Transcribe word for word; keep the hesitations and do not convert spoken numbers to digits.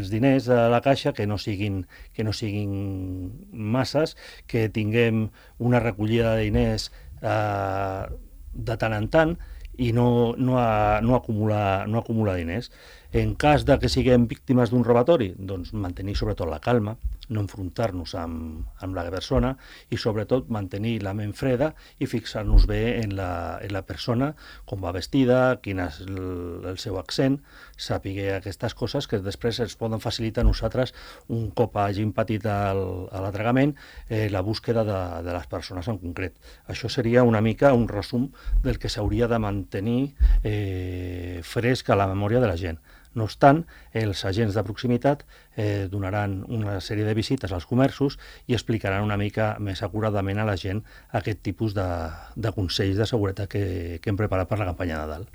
els diners a la caixa que no siguin, que no siguin masses, que tinguem una recollida de diners eh, de tant en tant i no, no, a, no, acumular, no acumular diners. En cas de que siguem víctimes d'un robatori, doncs mantenir sobretot la calma, no enfrontar-nos amb, amb la persona i sobretot mantenir la ment freda i fixar-nos bé en la, en la persona, com va vestida, quin és el, el seu accent, saber aquestes coses que després ens poden facilitar a nosaltres, un cop hagin patit el, l'atragament, eh, la búsqueda de, de les persones en concret. Això seria una mica un resum del que s'hauria de mantenir eh, fresc a la memòria de la gent. No obstant, els agents de proximitat eh, donaran una sèrie de visites als comerços i explicaran una mica més acuradament a la gent aquest tipus de, de consells de seguretat que, que hem preparat per la campanya de Nadal.